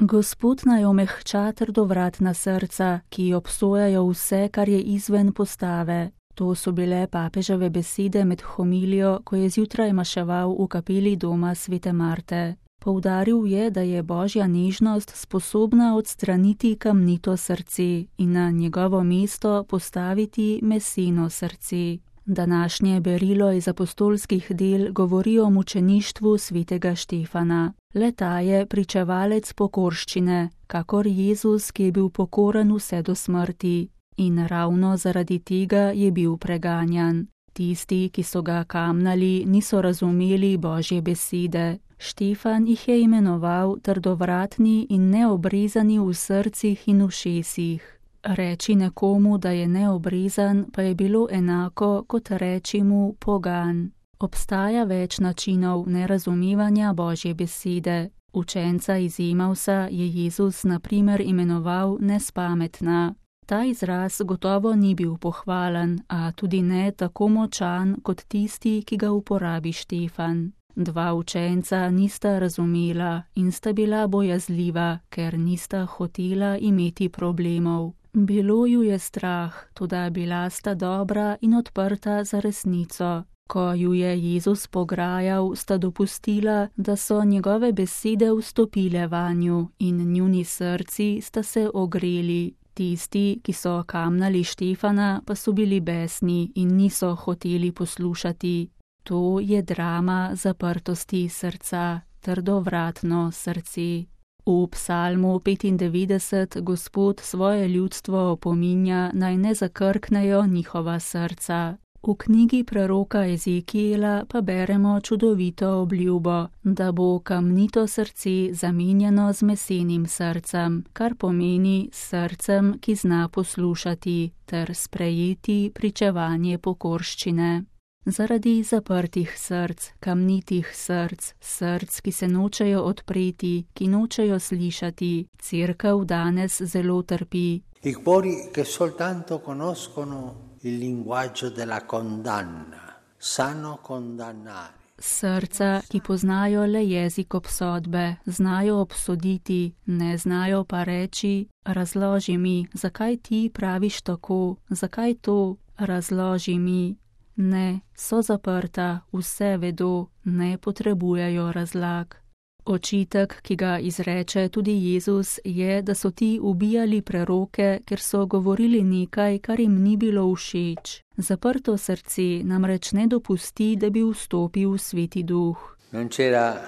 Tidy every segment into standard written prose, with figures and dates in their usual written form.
Gospod naj omehča trdovratna srca, ki obsojajo vse, kar je izven postave. To so bile papeževe besede med homilijo, ko je zjutraj maševal v kapeli doma svete Marte. Poudaril je, da je božja nežnost sposobna odstraniti kamnito srce in na njegovo mesto postaviti meseno srce. Današnje berilo iz apostolskih del govori o mučeništvu svetega Štefana. Le-ta je pričevalec pokorščine, kakor Jezus, ki je bil pokoren vse do smrti. In ravno zaradi tega je bil preganjan. Tisti, ki so ga kamnali, niso razumeli božje besede. Štefan jih je imenoval trdovratni in neobrezani v srcih in ušesih. Reči nekomu, da je neobrezan, pa je bilo enako, kot reči mu pogan. Obstaja več načinov nerazumevanja božje besede. Učenca iz Emausa je Jezus na primer imenoval nespametna. Ta izraz gotovo ni bil pohvalen, a tudi ne tako močan kot tisti, ki ga uporabi Štefan. Dva učenca nista razumela in sta bila bojazljiva, ker nista hotela imeti problemov. Bilo ju je strah, toda bila sta dobra in odprta za resnico. Ko ju je Jezus pograjal, sta dopustila, da so njegove besede vstopile vanju in njuni srci sta se ogreli. Tisti, ki so kamnali Štefana, pa so bili besni in niso hoteli poslušati. To je drama zaprtosti srca, trdovratno srce. V psalmu 95 Gospod svoje ljudstvo opominja, naj ne zakrknejo njihova srca. V knjigi preroka Ezekijela pa beremo čudovito obljubo, da bo kamnito srce zamenjano z mesenim srcem, kar pomeni srcem, ki zna poslušati ter sprejeti pričevanje pokorščine. Zaradi zaprtih src, kamnitih src, src, ki se nočejo odpreti, ki nočejo slišati, Cerkev danes zelo trpi. I cuori che soltanto conoscono il linguaggio della condanna, sanno condannare. Srca, ki poznajo le jezik obsodbe, znajo obsoditi, ne znajo pa reči, razloži mi, zakaj ti praviš tako, zakaj to, razloži mi. Ne, so zaprta, vse vedo, ne potrebujejo razlag. Očitek, ki ga izreče tudi Jezus, je, da so ti ubijali preroke, ker so govorili nekaj, kar jim ni bilo všeč. Zaprto srce namreč ne dopusti, da bi vstopil Sveti Duh. Non c'era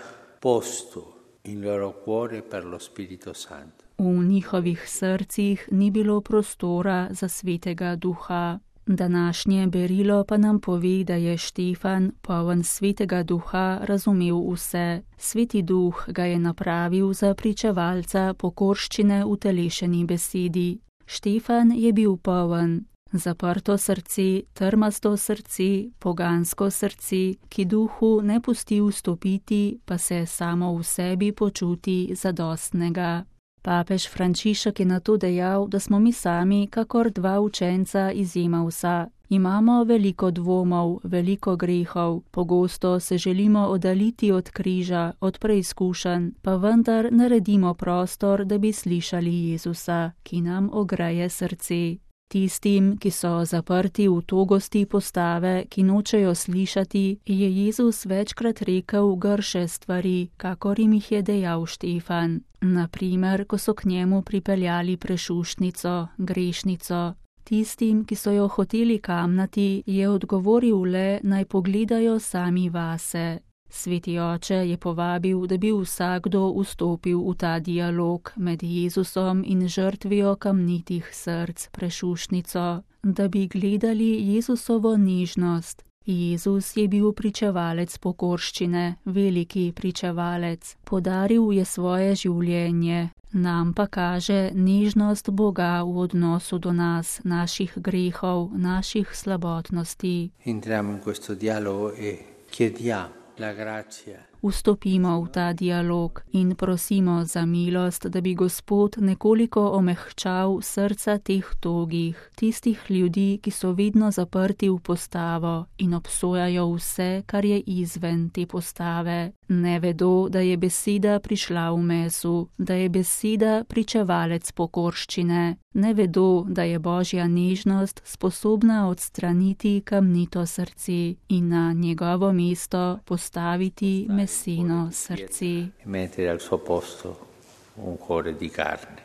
posto in loro cuore per lo Spirito Santo. V njihovih srcih ni bilo prostora za Svetega Duha. Današnje berilo pa nam pove, da je Štefan, poln Svetega Duha, razumel vse. Sveti Duh ga je napravil za pričevalca pokorščine v telešeni besedi. Štefan je bil poln. Zaprto srce, trmasto srce, pogansko srce, ki Duhu ne pusti vstopiti, pa se samo v sebi počuti zadostnega. Papež Frančišek je na to dejal, da smo mi sami kakor dva učenca iz Emausa. Imamo veliko dvomov, veliko grehov, pogosto se želimo oddaljiti od križa, od preizkušenj, pa vendar naredimo prostor, da bi slišali Jezusa, ki nam ogreje srce. Tistim, ki so zaprti v togosti postave, ki nočejo slišati, je Jezus večkrat rekel grše stvari, kakor jim jih je dejal Štefan. Naprimer, ko so k njemu pripeljali prešuštnico, grešnico. Tistim, ki so jo hoteli kamnati, je odgovoril le, naj pogledajo sami vase. Sveti oče je povabil, da bi vsakdo vstopil v ta dialog med Jezusom in žrtvijo kamnitih src, prešuštnico, da bi gledali Jezusovo nežnost. Jezus je bil pričevalec pokorščine, veliki pričevalec. Podaril je svoje življenje, nam pa kaže nežnost Boga v odnosu do nas, naših grehov, naših slabotnosti. Entriamo in questo dialogo e chiediamo la grazia vstopimo v ta dialog in prosimo za milost, da bi Gospod nekoliko omehčal srca teh togih, tistih ljudi, ki so vedno zaprti v postavo in obsojajo vse, kar je izven te postave. Ne vedo, da je beseda prišla v mesu, da je beseda pričevalec pokorščine. Ne vedo, da je Božja nežnost sposobna odstraniti kamnito srce in na njegovo mesto postaviti meseno srce. Mettere al suo posto un cuore di carne.